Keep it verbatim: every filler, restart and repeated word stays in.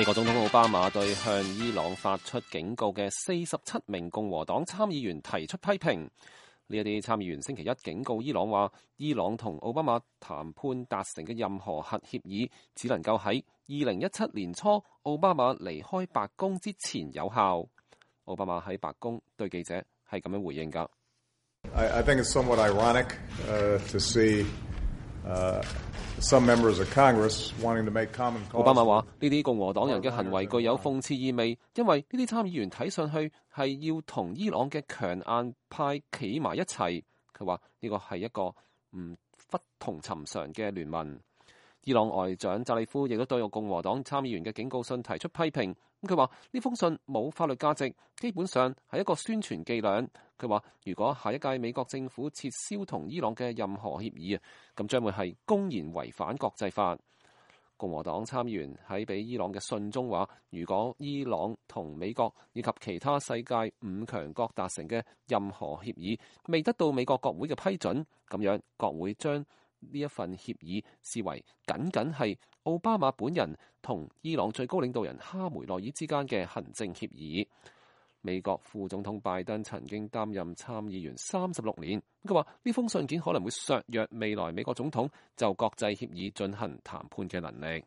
美國總統奧巴馬對向伊朗發出警告嘅四十七名共和黨參議員提出批評。呢一啲參議員星期一警告伊朗話，伊朗同奧巴馬談判達成嘅任何核協議，只能夠喺二零一七年初奧巴馬離開白宮之前有效。奧巴馬喺白宮對記者係咁樣回應㗎。I, I think it's somewhat ironic, uh, to see, uh, some members of Congress wanting to make common cause. 奧巴馬話：呢啲共和黨人嘅行為具有諷刺意味，因為呢啲參議員睇上去係要同伊朗嘅強硬派企埋一齊。佢話呢個係一個唔不同尋常嘅聯盟。伊朗外長扎里夫亦都對共和黨參議員嘅警告信提出批評。咁佢話呢封信冇法律價值，基本上係一個宣傳伎倆。佢話如果下一屆美國政府撤銷同伊朗嘅任何協議啊，咁將會係公然違反國際法。共和黨參議員喺俾伊朗嘅信中話，如果伊朗同美國以及其他世界五強國達成嘅任何協議未得到美國國會嘅批准，咁樣國會將呢一份協議視為僅僅係奧巴馬本人同伊朗最高領導人哈梅內爾之間嘅行政協議。美國副總統拜登曾經擔任參議員三十六年，佢話呢封信件可能會削弱未來美國總統就國際協議進行談判嘅能力。